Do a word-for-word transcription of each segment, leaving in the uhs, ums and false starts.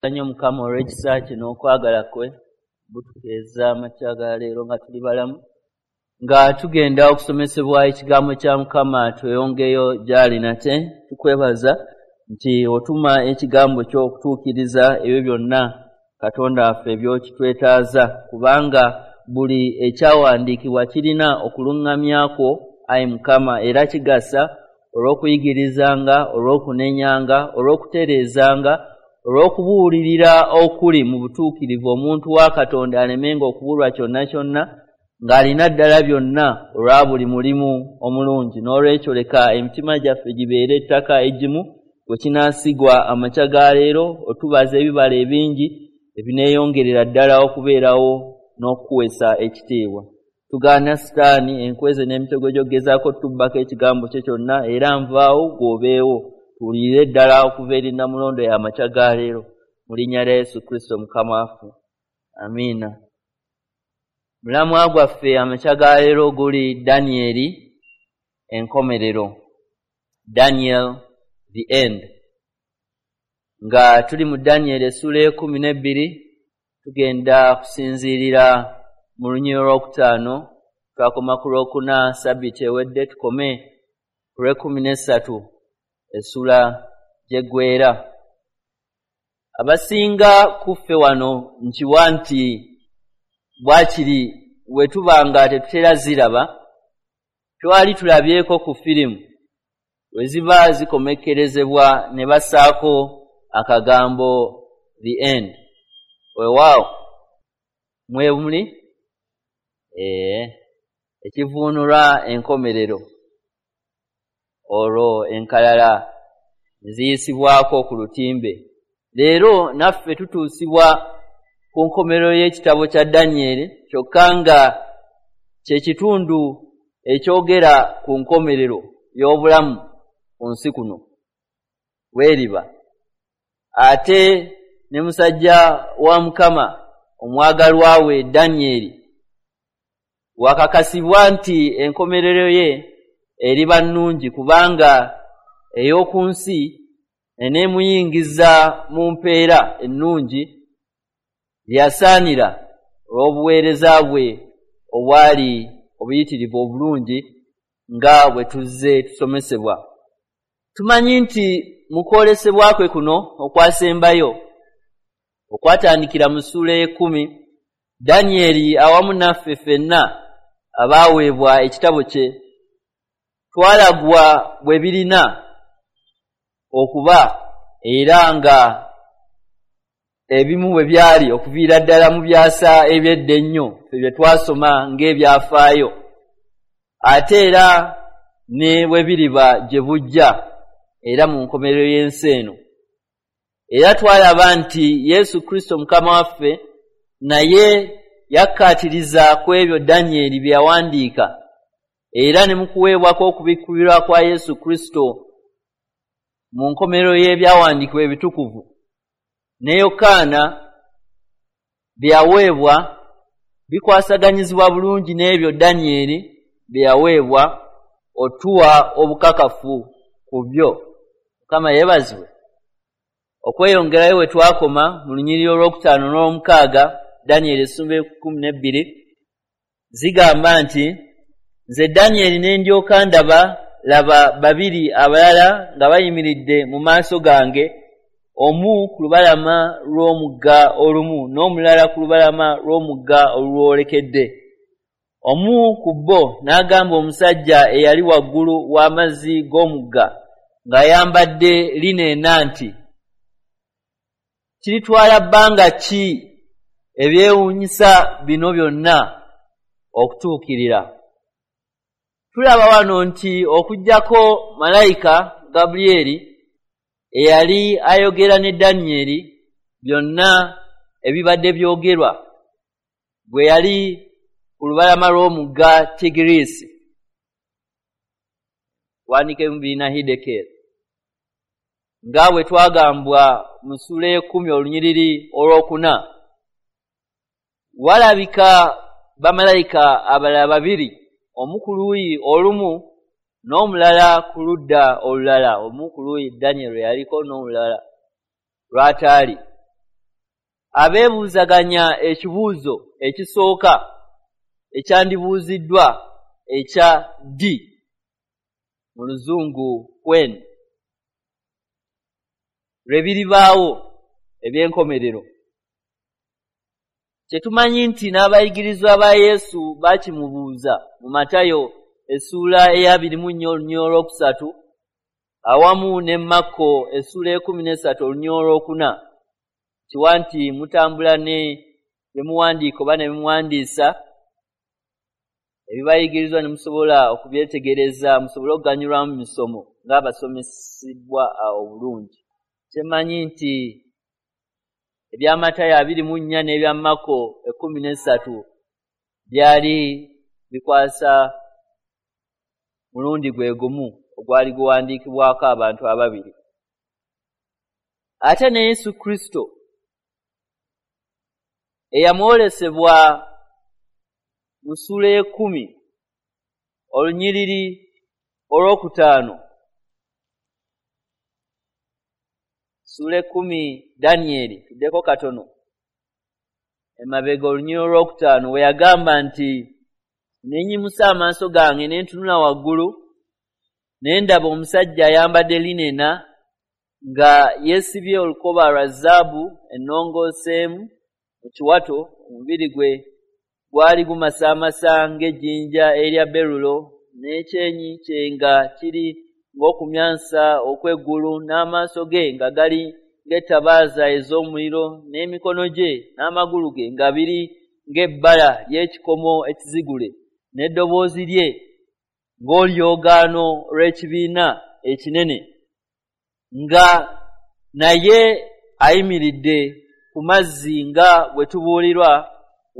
Nnyo Mukama olw'ekisa kye n'okwagala kwe butukeeza amakya ga leero nga tuli balamu, nga tugenda okusomesebwa ekigambo kya Mukama. Tweyongeyo gy'ali nate, tukwebaza nti otuma ekigambo kyo okutuukiriza ebyo byonna Katonda waffe by'okitwetaaza, kubanga buli ekyawandiikibwa kirina okuluŋŋamya kwo, ayi Mukama, era kigasa olw'okuyigirizanga, olw'okunenyanga, olw'okutereezanga, olw'okubuulirira okuli mu butuukirivu, omuntu wa Katonda alemenga okubulwa kyonna kyonna, ng'alina ddala byonna olwa buli mulimu omulungi. N'olwekyo leka emitima gyaffe gibeere ettaka eggimu bwe kinaasigwa amakya ga leero, otubaza ebibala ebingi ebineeyongerera ddala okubeerawo n'okukuweesa ekitiibwa. Tugaana Sitaani, enkweze n'emitego gy'okugezaako tubbako ekigambo kye kyonna, era nvaawo gw'obeewo, tuwulirire ddala okuva eri Nnamulondo y'amakya ga leero, mu linnya lya Yesu Kristo Mukama waffe, amiina. Mulamwa gwaffe amakya ga leero guli Danyeri enkomerero, Daniel the end. Nga tuli mu Danyeri essuula ey'ekkumi n'ebbiri, tugenda kusinziirira mu lunyiriri olwokutaano. Twakoma ku lwokuna sabbiiti ewedde, tukome ku lw'ekkumi n'essatu essuula gy'eggweera. Abasinga ku ffe wano nkiwa nti bwakiri bwe tuba nga tetutera ziraba, twali tulabyeko ku firimu we ziba zikomekkerezebwa ne bassaako akagambo the end. Weewaawo mwe muli ee ekivuunulwa enkomerero, olwo enkalala ne ziyisibwako ku lutimbe. Leero naffe tutuusibwa ku nkomerero y'ekitabo kya Danyeri, kyokka nga kye kitundu ekyogera ku nkomerero y'obulamu ku nsi kuno weeriba. Ate ne musajja wa Mukama omwagalwa we Danyeri wakakasibwa nti enkomerero ye eriba nnungi, kubanga ey'oku nsi eneemuyingiza mu mpeera ennungi gye yasaanira olw'obuweereza bwe obwali obuyitirivu obulungi, nga bwe tuzze tusomesebwa. Tumanyi nti mu kwolesebwa kwe kuno okwasembayo okwatandikira mu ssuula ey'ekkumi, Danyeri awamu naffe ffenna abaaweebwa ekitabo kye twalagwa bwe birina okuba, era nga ebimu bwe byali okuviira ddala mu byasa eby'edda ennyo ffe bye twasoma ng'ebyafaayo, ate era ne bwe biriba gye bujja era mu nkomerero y'ensi eno. Era twalaba nti Yesu Kristo Mukama waffe naye yakkaatiriza ku ebyo Danyeri bye yawandiika, era ne mu kuweebwako okubikkulirwa kwa Yesu Kristo mu nkomerero y'ebyawandiikibwa ebitukuvu ne Yokaana bye yaweebwa bikwasaganyizibwa bulungi n'ebyo Danyeri bye yaweebwa, otuwa obukakafu ku byo. Mukama yeebazibwe. Okweyongerayo we twakoma mu lunyiriri olwokutaano n'olwomukaaga, Danyeri essuula ekkumi n'ebbiri, zigamba nti, nze Danyeri ne ndyoka ndaba, laba babiri abalala nga bayimiridde mu maaso gange, omu ku lubalama lw'omugga olumu n'omulala ku lubalama lw'omugga olulwolekedde. Omu ku bo n'agamba omusajja eyali waggulu w'amazzi g'omugga ng'ayambadde lineena nti, kiritwala bbanga ki ebyewuunyisa bino byonna okutuukirira? Tulaba wano nti okuggyako malayika Gabulyeri eyali ayogera ne Danyeri, byonna ebibadde byogerwa bwe yali ku lubalama lw'omugga Tigiriisi, wandiika ebimu birina Hidekeri, nga bwe twagambwa mu ssuula ey'ekkumi olunyiriri olwokuna, walabika bamalayika abalala babiri, omu ku luuyi olumu n'omulala ku ludda olulala, omu ku luuyi Danyeri lwe yaliko n'omulala lw'ataali. Abeebuuzaganya ekibuuzo ekisooka ekyandibuuziddwa ekya ddi, mu Luzungu when, lwe biribaawo eby'enkomerero. Kyetumanyi nti n'abayigirizwa ba Yesu baakimubuuza mu Matayo essuula ey'abiri mu nnya olunyiriri olwokusatu awamu ne Makko essuula ekkumi n'essatu olunyiriri olwokuna, kiwa nti mutambula ne bye muwandiika oba ne bimuwandiisa ebibayigirizwa ne musobola okubyetegereza, musobole okuganyulwamu mu misomo ng'abasomesebwa obulungi. Kyemanyi nti ebya Matayo abiri mu nnya n'ebya Makko ekkumi n'essatu byali bikwasa mulundi gwe gumu ogwali guwandiikibwako abantu ababiri. Ate ne Yesu Kristo eyamwolesebwa mu ssuula ey'ekkumi olunyiriri olwokutaano, ssuula ekkumi Danyeri, tuddeko katono emabega olunyiriri olwokutaano, we yagamba nti, ne nnyimusa amaaso gange ne ntunula waggulu, ne ndaba omusajja ayambadde linena nga yeesibye olukoba lwa zaabu ennongooseemu mu kiwato, omubiri gwe gwali gumasaamasa ng'ejjinja erya berulo, n'ekyenyi kye nga kiri ng'okumyansa okw'eggulu, n'amaaso ge nga gali ng'ettabaaza ez'omuliro, n'emikono gye n'amagulu ge nga biri ng'ebbala ly'ekikomo ekizigule, n'eddoboozi lye ng'olyogaano lw'ekibiina ekinene, nga naye ayimiridde ku mazzi nga bwe tubuulirwa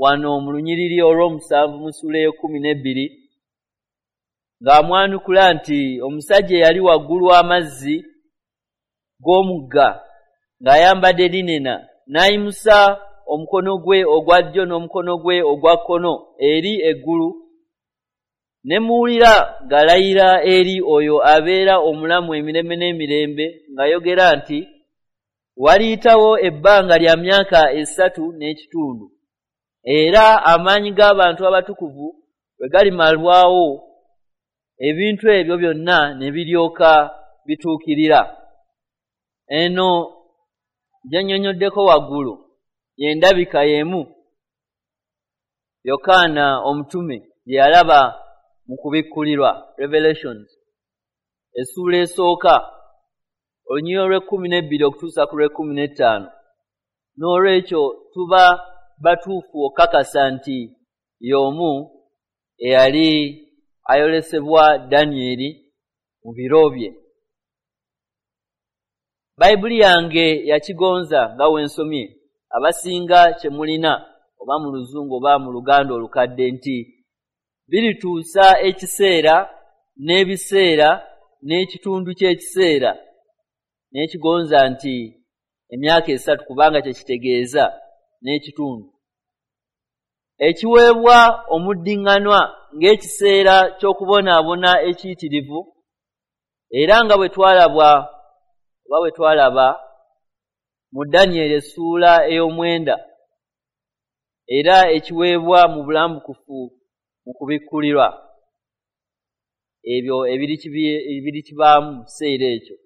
wano mu lunyiriri olw'omusanvu mu ssuula ey'ekkumi n'ebbiri, ng'amwanukula nti omusajja eyali waggulu w'amazzi g'omugga ng'ayambadde linena, n'ayimusa omukono gwe ogwa ddyo n'omukono gwe ogwa kkono eri eggulu, ne muwulira ng'alayira eri oyo abeera omulamu emirembe n'emirembe, ng'ayogera nti, waliyitawo ebbanga lya myaka esatu n'ekitundu, era amaanyi g'abantu abatukuvu bwe galimalwawo, ebintu ebyo byonna ne biryoka bituukirira. Eno gye nnyonnyoddeko waggulu y'endabika y'emu Yokaana omutume gye yalaba mu kubikkulirwa, Revelations, essuula esooka olunyiriri olw'ekkumi n'ebbiri okutuusa ku lw'ekkumi n'ettaano. N'olwekyo tuba batuufu okukakasa nti y'omu eyali ayolesebwa Danyeri mu biro bye. Bayibuli yange yakigonza nga we nsomye, abasinga kye mulina oba mu Luzungu oba mu Luganda olukadde, nti birituusa ekiseera n'ebiseera n'ekitundu ky'ekiseera, n'ekigonza nti emyaka esatu, kubanga kye kitegeeza n'ekitundu, ekiweebwa omuddiŋŋanwa ng'ekiseera ky'okubonaabona ekiyitirivu, era nga bwe twalabwa oba bwe twalaba mu Danyeri essuula ey'omwenda, era ekiweebwa mu bulambukufu mu kubikkulirwa, ebyo ebirikibaamu mu kiseera ekyo.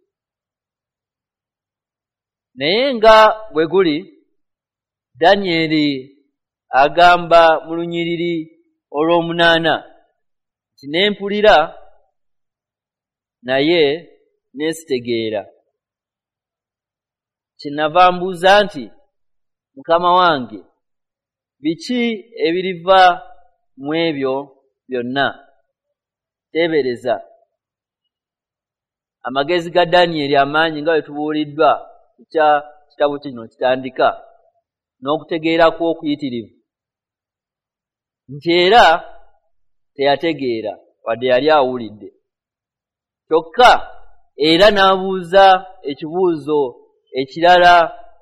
Naye nga bwe guli, Danyeri agamba mu lunyiriri olw'omunaana nti, ne mpulira naye ne sitegeera. Kyenava mbuuza nti, Mukama wange, biki ebiriva mu ebyo byonna? Teebereza amagezi ga Danyeri amaanyi nga bwe tubuuliddwa kya kitabo kino kitandika, n'okutegeera kw'okuyitirivu, nti era teyategeera wadde yali awulidde. Kyokka era n'abuuza ekibuuzo ekirala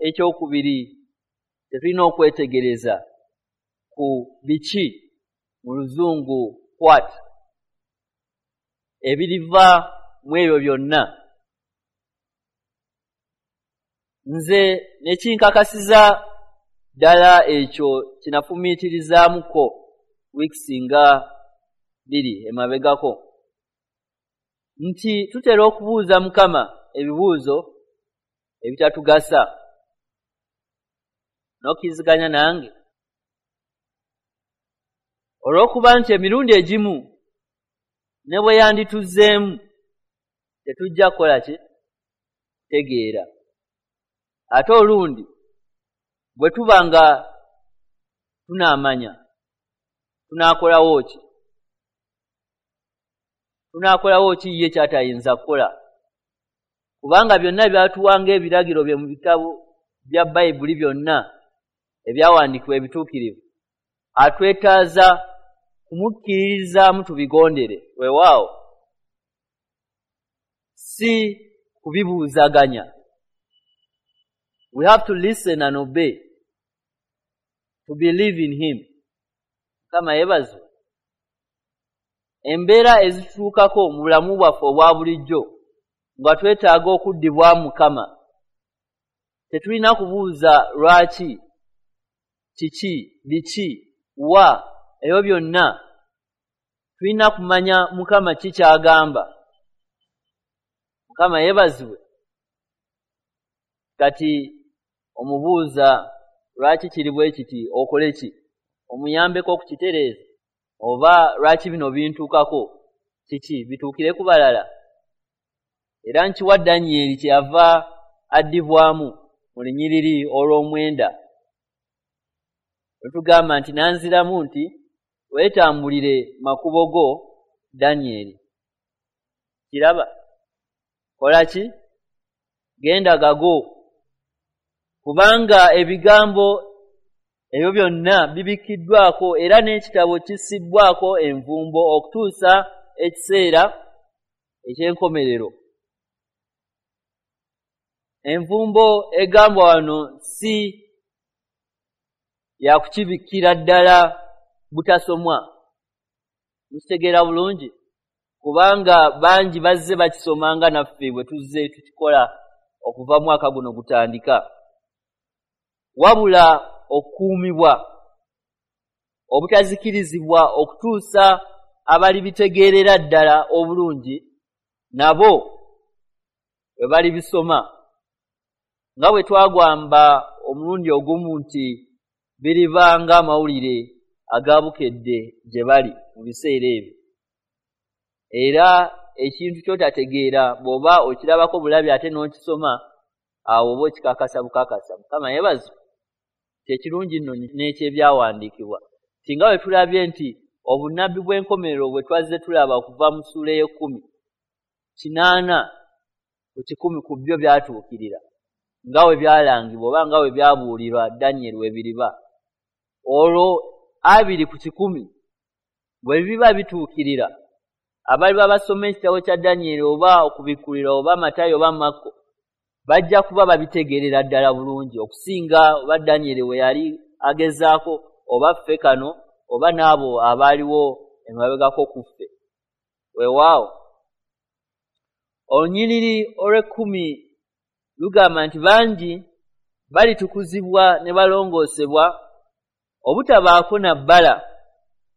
ekyokubiri tetulina okwetegereza ku biki, mu Luzungu what, ebiriva mu ebyo byonna. Nze ne kinkakasiza Ddala ekyo kinafumiitirizaamuko wiiki nga bbiri emabegako, nti tutera okubuuza Mukama ebibuuzo ebitatugasa. N'okkiriziganya nange? Olw'okuba nti emirundi egimu ne bwe yandituzzeemu tetujja kukola ki? Tegeera. Ate olundi bwe tuba nga tunaamanya tunaakolawo ki? Tunaakolawo ki ye ky'atayinza kukola? Kubanga byonna byatuwanga ebiragiro bye mu bitabo bya Bayibuli byonna ebyawandiikibwa ebituukirivu, atwetaaza kumukkiririzaamu tubigondere. Weewaawo, si kubibuuzaganya. We have to listen and obey, to believe in him. Mukama yeebazibwe. Embeera ezitutuukako mu bulamu bwaffe obwa bulijjo nga twetaaga okuddibwamu Mukama, tetulina kubuuza lwaki, kiki, biki, wa, ebyo byonna. Tulina kumanya Mukama ki ky'agamba. Mukama yeebazibwe. Kati omubuuza lwaki kiri bwe kiti, okole ki? Omuyambeko okukitereeza? Oba lwaki bino bintuukako, kiki bituukire ku balala? Era nkiwa Danyeri kyeyava addibwamu mu lunyiriri olw'omwenda. Lutugamba nti nanziramu nti weetambulire makubo go Danyeri. Kiraba? Kola ki? Genda gago. Kubanga ebigambo ebyo byonna bibikkiddwako era n'ekitabo kissibbwako envumbo okutuusa ekiseera eky'enkomerero. Envumbo egambwa wano si ya kukibikkira ddala butasomwa. Mukitegeera bulungi? Kubanga bangi bazze bakisomanga naffe bwe tuzze tukikola okuva mwaka guno gutandika. Wabula okukuumibwa, obutazikirizibwa okutuusa abalibitegeerera ddala obulungi nabo bwe balibisoma. Nga bwe twagwamba omulundi ogumu nti biriba ng'amawulire agabukedde gye bali mu biseera ebyo. Era ekintu ky'otategeera bw'oba okirabako bulabi ate n'okisoma, awo oba okikakasa bukakasa. Mukama yeebazibwe. Kyekirungi nno n'ekyebyawandiikibwa nti nga bwe tulabye nti obunnabbi bw'enkomerero bwe twazze tulaba okuva mu ssuula ey'ekkumi, kinaana ku kikumi ku byo byatuukirira nga bwe byalangibwa oba nga bwe byabuulirwa Danyeri we biriba. Olwo abiri ku kikumi bwe biba bituukirira, abaliba basoma ekitabo kya Danyeri oba Okubikkulirwa oba Matayo oba Makko bajja kuba babitegeerera ddala bulungi okusinga oba Danyeri we yali agezaako oba ffe kano oba n'abo abaaliwo emabegako ku ffe. Weewaawo, olunyiriri olw'ekkumi lugamba nti bangi balitukuzibwa ne balongoosebwa obutabaako na bbala,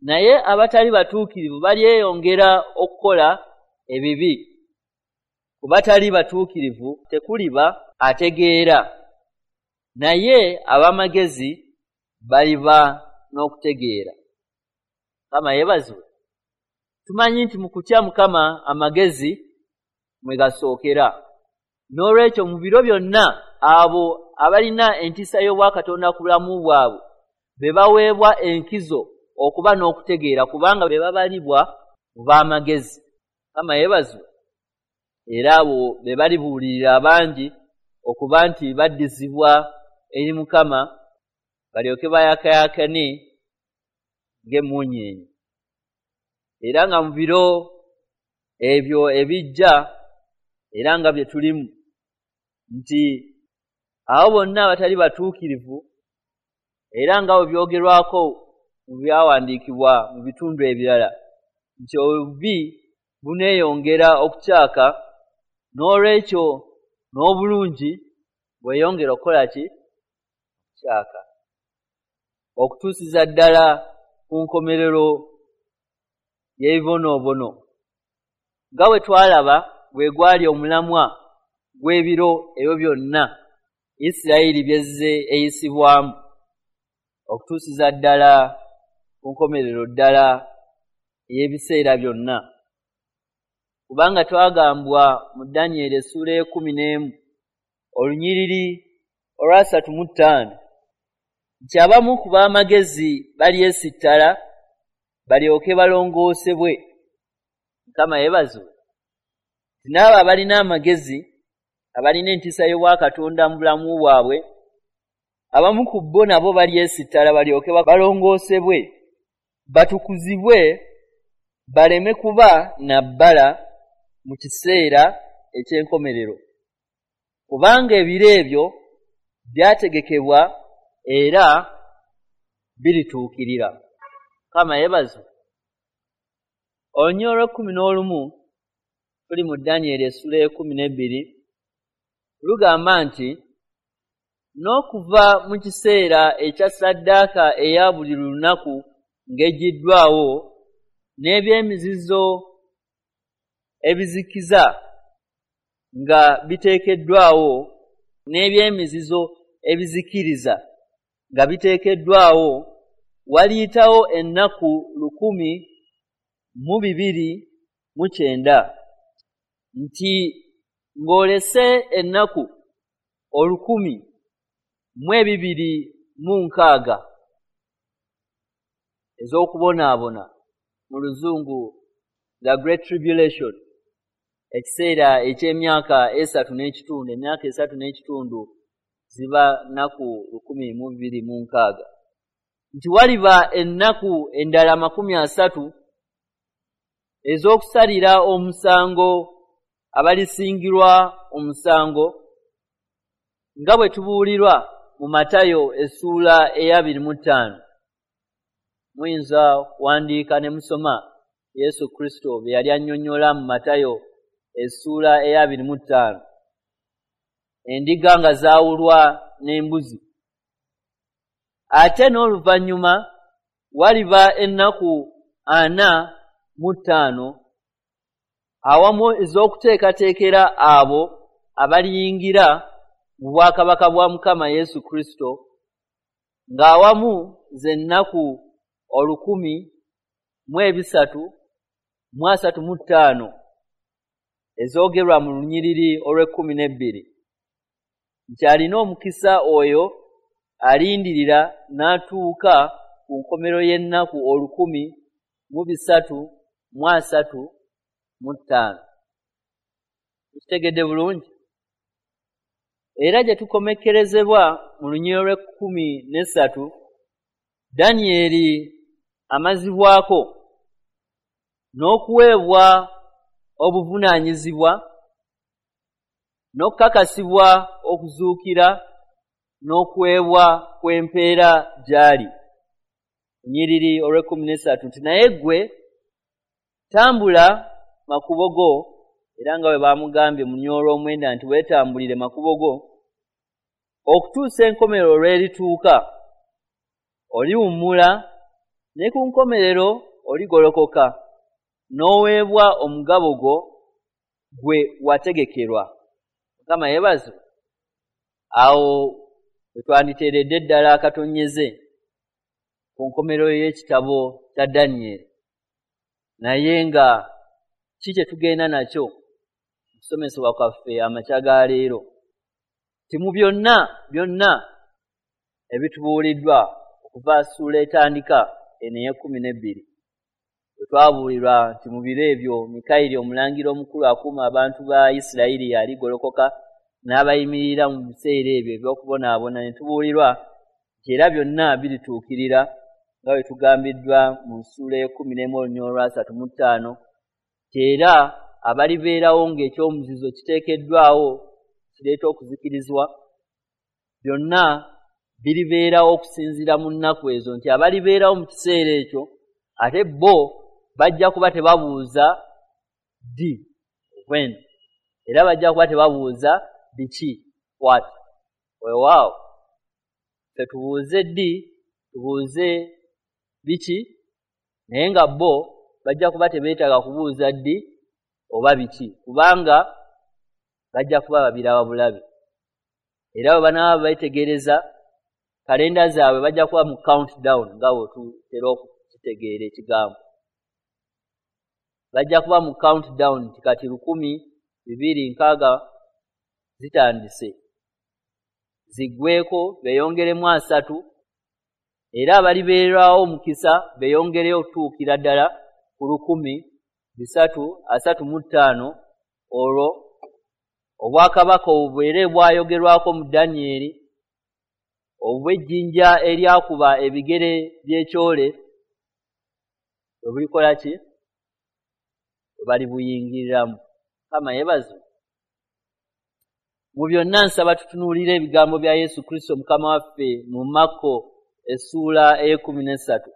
naye abatali batuukirivu balyeyongera okukola ebibi. Ku batali batuukirivu tekuliba ategeera, naye ab'amagezi baliba n'okutegeera. Mukama yeebazibwe. Tumanyi nti mu kutya Mukama amagezi mwe gasookera. N'olwekyo mu biro byonna abo abalina entiisa y'obwakatonda ku bulamu bwabwe be baweebwa enkizo okuba n'okutegeera, kubanga be babalibwa mu b'amagezi. Mukama yeebazibwe. Era abo be balibuulirira abangi okuba nti baddizibwa eri Mukama balyoke bayakaayakane ng'emmunyeenye. Era nga mu biro ebyo ebijja era nga bye tulimu nti abo bonna abatali batuukirivu, era nga bwe byogerwako mu byawandiikibwa mu bitundu ebirala nti obubi buneeyongera okukyaka, n'olwekyo n'obulungi bweyongera okukola ki? Okukyaka. okutuusiza ddala ku nkomerero y'ebibonoobono. Nga bwe twalaba bwe gwali omulamwa gw'ebiro ebyo byonna Isirayiri byezze eyisibwamu okutuusiza ddala ku nkomerero ddala ey'ebiseera byonna. Kubanga twagambwa mu Danyeri essuula ekkumi n'emu olunyiriri olwasatu mu ttaano nti abamu ku b'amagezi balyesittala balyoke balongoosebwe. Mukama yeebazibwe. Nti n'abo abalina amagezi, abalina entiisa y'obwakatonda mu bulamu bwabwe, abamu ku bo nabo balyesittala balyoke balongoosebwe, batukuzibwe, baleme kuba na bbala mu kiseera eky'enkomerero. Kubanga ebiro ebyo byategekebwa era birituukirira. Mukama yeebazibwe. Olunyiriri olw'ekkumi n'olumu tuli mu Danyeri essuula ekkumi n'ebbiri lugamba nti n'okuva mu kiseera ekya ssaddaaka eya buli lunaku ng'eggiddwawo n'ebyemizizo ebizikiza nga biteekeddwawo n'ebyemizizo ebizikiriza nga biteekeddwawo waliyitawo ennaku lukumi mu bibiri mu kyenda, nti ng'olese ennaku olukumi mu ebibiri mu nkaaga ez'okubonaabona, mu luzungu the Great Tribulation, ekiseera eky'emyaka esatu n'ekitundu. Emyaka esatu n'ekitundu ziba nnaku lukumi mu bibiri mu nkaaga. Nti waliba ennaku endala makumi asatu ez'okusalira omusango abalisingirwa omusango, nga bwe tubuulirwa mu Matayo essuula ey'abiri mu ttaano. Muyinza kuwandiika ne musoma Yesu Kristo bye yali annyonnyola mu Matayo essuula ey'abiri mu ttaano. Endiga nga zaawulwa n'embuzi. Ate n'oluvannyuma waliba ennaku ana mu ttaano awamu ez'okuteekateekera abo abaliyingira mu bwakabaka bwa Mukama Yesu Kristo, ng'awamu z'ennaku olukumi mu ebisatu mu asatu mu ttaano ezoogerwa mu lunyiriri olw'ekkumi n'ebbiri, nti alina omukisa oyo alindirira n'atuuka ku nkomerero y'ennaku olukumi mu bisatu mu asatu mu ttaano. Tukitegedde bulungi? Era gye tukomekkerezebwa mu lunyiriri olw'ekkumi n'essatu, Danyeri amazibwako n'okuweebwa obuvunaanyizibwa n'okukakasibwa okuzuukira n'okuweebwa kw'empeera gy'ali. Lunyiriri olw'ekkumi n'essatu nti naye ggwe tambula makubo go, era nga bwe baamugambye mu lunyiriri olw'omwenda nti weetambulire makubo go okutuusa enkomerero lw'erituuka, oliwummula ne ku nkomerero oligolokoka n'oweebwa omugabo gwo gwe wategekerwa. Mukama yeebazibwe. Awo we twanditeeredde ddala akatonyeze ku nkomerero y'ekitabo kya Danyeri. Naye nga ki kye tugenda nakyo mu kusomesebwa kwaffe amakya ga leero? Nti mu byonna byonna ebitubuuliddwa okuva ssuula etandika eno ey'ekkumi n'ebbiri, bwe twabuulirwa nti mu biro ebyo Mikayiri omulangira omukulu akuuma abantu ba Isirayiri aligolokoka n'abayimirira mu biseera ebyo eby'okubonaabona, ne tubuulirwa nti era byonna birituukirira nga bwe tugambiddwa mu ssuula ey'ekkumi n'emu olunyiriri olwasatu mu ttaano, nti era abalibeerawo ng'ekyomuzizo kiteekeddwawo kireeta okuzikirizibwa, byonna biribeerawo okusinziira mu nnaku ezo, nti abalibeerawo mu kiseera ekyo ate bo bajja kuba tebabuuza ddi, when, era bajja kuba tebabuuza biki, what. Weewaawo ffe tubuuze ddi, tubuuze biki, naye nga bo bajja kuba tebeetaaga kubuuza ddi oba biki, kubanga bajja kuba babiraba bulabi. Era bwe banaaba beetegereza kalenda zaabwe bajja kuba mu countdown, nga bwe tutera okukitegeera ekigambo. Bajja kuba mu countdown nti kati lukumi bibiri nkaaga zitandise, ziggweeko beeyongeremu asatu, era abalibeerwawo omukisa beeyongereyo okutuukira ddala ku lukumi bisatu asatu mu ttaano, olwo obwakabaka obubeere bwayogerwako mu Danyeri, obw'ejjinja eryakuba ebigere by'ekyole bwe bulikola ki? Bwe balibuyingiriramu. Mukama yeebazibwe. Mu byonna nsaba tutunuulire ebigambo bya Yesu Kristo Mukama waffe mu Makko essuula ey'ekkumi n'essatu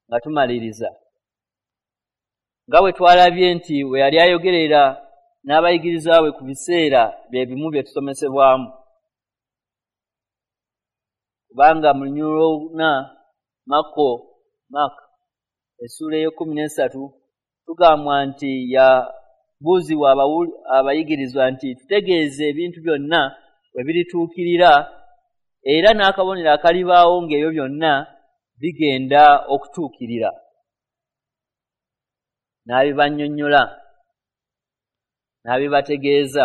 nga tumaliriza. Nga bwe twalabye nti we yali ayogerera n'abayigirizwa be ku biseera bye bimu bye tusomesebwamu, kubanga mu lunyiriri olwokuna Makko Mark essuula ey'ekkumi n'essatu tugambwa nti yabuuzibwa abayigirizwa nti tutegeeze ebintu byonna we birituukirira, era n'akabonero akalibaawo ng'ebyo byonna bigenda okutuukirira. N'abibannyonnyola, n'abibategeeza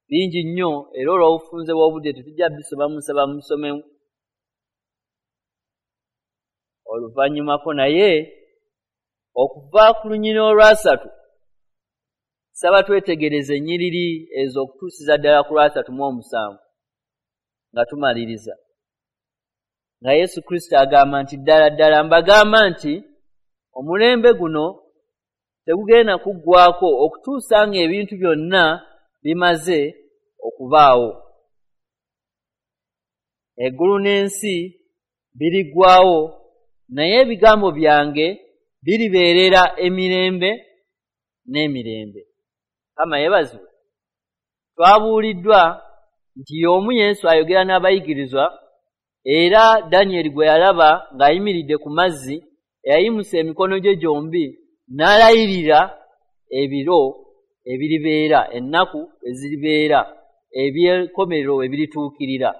bingi nnyo, era olw'obufunze bw'obudde tetujja bisoma, musaba musome oluvannyumako. Naye okuva ku lunyiriri olwasatu saba twetegereze ennyiriri ezo okutuusiza ddala ku lwasatu mu omusanvu nga tumaliriza. Nga Yesu Kristo agamba nti ddala ddala mbagamba nti omulembe guno tegugenda kuggwaako okutuusa ng'ebintu byonna bimaze okubaawo. Eggulu n'ensi biriggwaawo, naye ebigambo byange biribeerera emirembe n'emirembe. Mukama yeebazibwe. Twabuuliddwa nti y'omu Yesu ayogera n'abayigirizwa, era Danyeri gwe yalaba ng'ayimiridde ku mazzi, eyayimusa emikono gye gyombi n'alayirira ebiro ebiribeera, ennaku eziribeera, eby'enkomerero ebirituukirira.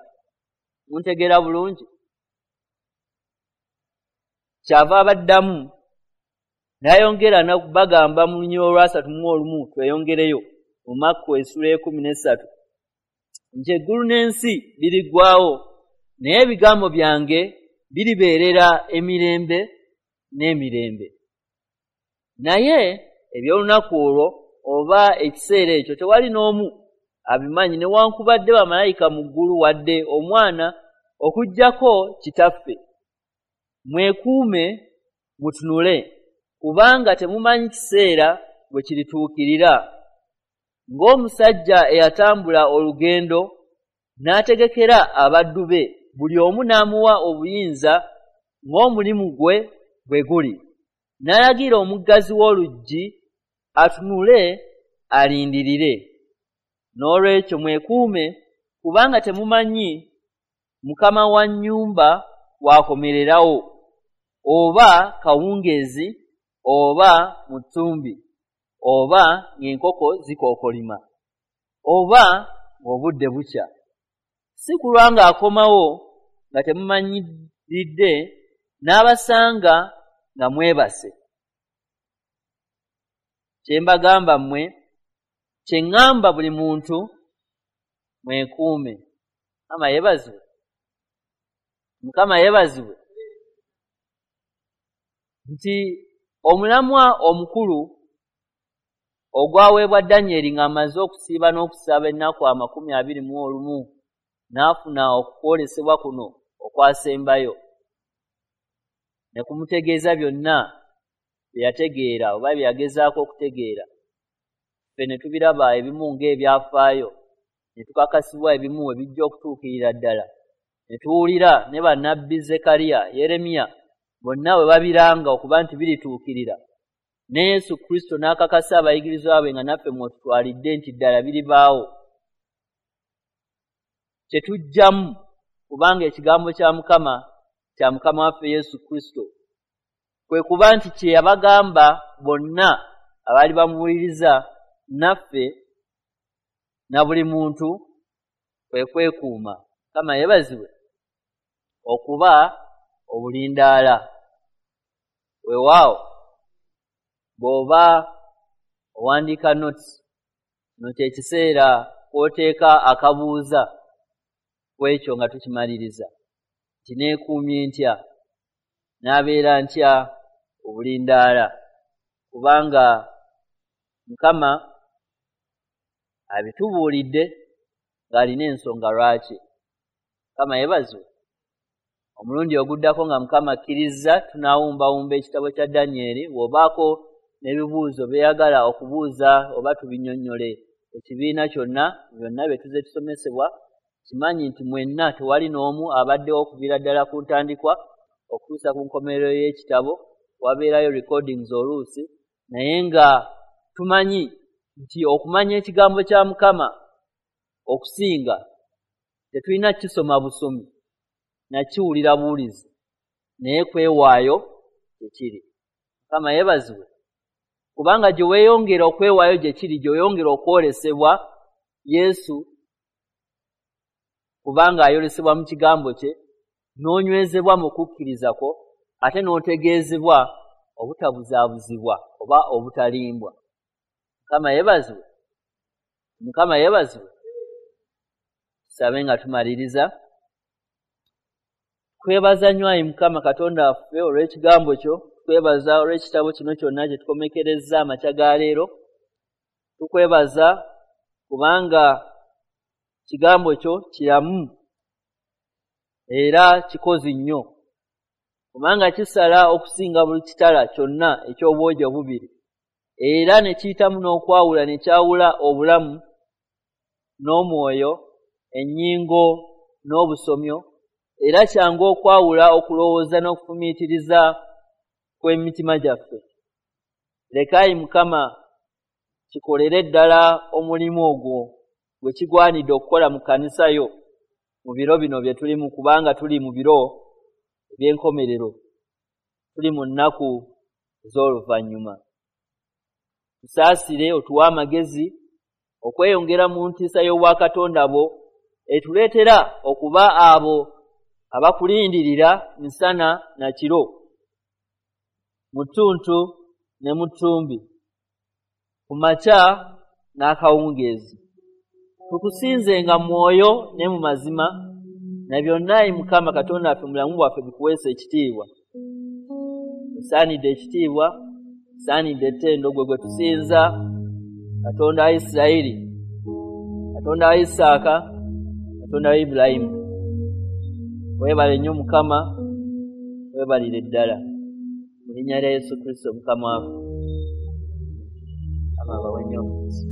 Muntegeera bulungi? Kyava abaddamu n'ayongera n'okubagamba mu lunyiriri olwasatu mu olumu, tweyongereyo mu Makko essuula ey'ekkumi n'essatu nti eggulu n'ensi biriggwaawo, naye ebigambo byange biribeerera emirembe n'emirembe. Naye eby'olunaku olwo oba ekiseera ekyo tewali n'omu abimanyi, newankubadde bamalayika mu ggulu wadde omwana, okuggyako Kitaffe. Mwekuume mutunule, kubanga temumanyi kiseera bwe kirituukirira. Ng'omusajja eyatambula olugendo n'ategekera abaddu be, buli omu n'amuwa obuyinza ng'omulimu gwe bwe guli, n'alagira omuggazi w'oluggi atunule alindirire. N'olwekyo mwekuume, kubanga temumanyi mukama wa nnyumba w'akomererawo, oba kawungeezi, oba mu ttumbi, oba ng'enkoko zikookolima, oba ng'obudde bukya. Si kulwa ng'akomawo nga temumanyiridde, n'abasanga nga mwebase. Kye mbagamba mmwe, kye ŋŋamba buli muntu, mwekuume. Mukama yeebazibwe. Mukama yeebazibwe. Nti omulamwa omukulu ogwaweebwa Danyeri ng'amaze okusiiba n'okusaba ennaku amakumi abiri mu olumu, n'afuna okwolesebwa kuno okwasembayo, ne kumutegeeza byonna bye yategeera oba bye yagezaako okutegeera. Ffe ne tubiraba ebimu ng'ebyafaayo, ne tukakasibwa ebimu ebijja okutuukirira ddala, ne tuwulira ne bannabbi Zekariya, Yeremiya bonna bwe babiranga okuba nti birituukirira, ne Yesu Kristo n'akakasa abayigirizwa be nga naffe mw'otutwalidde nti ddala biribaawo. Kye tuggyamu Kubanga ekigambo kya Mukama kya Mukama waffe Yesu Kristo kwe kuba nti kye yabagamba bonna abaali bamuwuliriza naffe na buli muntu kwe kwekuuma. Mukama yeebazibwe okuba obulindaala. Weewaawo bw'oba owandiika notes, kino kye kiseera kw'oteeka akabuuza ku ekyo nga tukimaliriza nti neekuumye ntya, n'abeera ntya obulindaala, kubanga Mukama abitubuulidde ng'alina ensonga lwaki. Mukama yeebazibwe. Omulundi oguddako nga Mukama akkirizza tunaawumbawumba ekitabo kya Danyeri. Bw'obaako n'ebibuuzo by'oyagala okubuuza oba tubinnyonnyole ekibiina kyonna, byonna bye tuzze tusomesebwa, kimanyi nti mwenna tewali n'omu abaddewo okuviira ddala ku ntandikwa okutuusa ku nkomerero y'ekitabo. Wabeerayo recordings oluusi, naye nga tumanyi nti okumanya ekigambo kya Mukama okusinga tetulina kukisoma busomi nakiwulira buwulizi, naye kwewaayo gye kiri. Mukama yeebazibwe, kubanga gye weeyongera okwewaayo gye kiri, gye weeyongera okwolesebwa Yesu, kubanga ayolesebwa mu kigambo kye, n'onywezebwa mu kukkiriza kwo, ate n'otegeezebwa obutabuzaabuzibwa oba obutalimbwa. Mukama yeebazibwe. Mukama yeebazibwe. Tusabe nga tumaliriza. Twebaza nnyo ayi Mukama Katonda waffe olw'ekigambo kyo, tukwebaza olw'ekitabo kino kyonna kye tukomekerezza amakya ga leero. Tukwebaza kubanga kigambo kyo kiramu era kikozi nnyo, kubanga kisala okusinga buli kitala kyonna eky'obwogi obubiri, era ne kiyitamu n'okwawula ne kyawula obulamu n'omwoyo, ennyingo n'obusomyo, era kyangu okwawula okulowooza n'okufumiitiriza kw'emitima gyaffe. Leka ayi Mukama kikolere ddala omulimu ogwo gwe kigwanidde okukola mu kkanisa yo mu biro bino bye tulimu, kubanga tuli mu biro eby'enkomerero, tuli mu nnaku ez'oluvannyuma. Tusaasire otuwe amagezi okweyongera mu ntiisa y'obwakatonda bwo etuleetera okuba abo abakulindirira misana na kiro, mu ttuntu ne mu ttumbi, ku makya n'akawungeezi. Tukusinzenga mu mwoyo ne mu mazima, na byonna ayi Mukama Katonda waffe mu bulamu bwaffe bikuweesa ekitiibwa. Osaanidde ekitiibwa, osaanidde ettendo, gwe gwe tusinza, Katonda wa Isirayiri, Katonda wa Isaaka, Katonda wa Ibulayimu. Weebale nnyo Mukama, weebalire ddala. Mu linnya lya Yesu Kristo Mukama waffe. Mukama abawe nnyo omukisa.